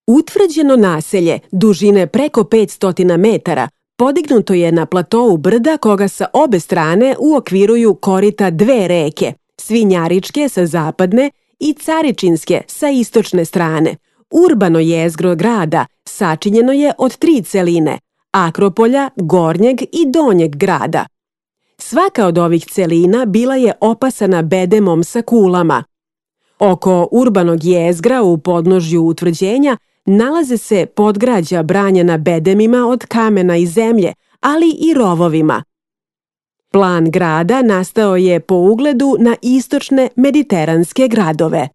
Utvrđeno naselje, dužine preko 500 metara, podignuto je na platou brda koga sa obe strane uokviruju korita dve reke, Svinjaričke sa zapadne i Caričinske sa istočne strane. Urbano jezgro grada sačinjeno je od 3 celine, Akropolja, Gornjeg i Donjeg grada. Svaka od ovih celina bila je opasana bedemom sa kulama. Oko urbanog jezgra u podnožju utvrđenja nalaze se podgrađa branjena bedemima od kamena i zemlje, ali i rovovima. Plan grada nastao je po ugledu na istočne mediteranske gradove.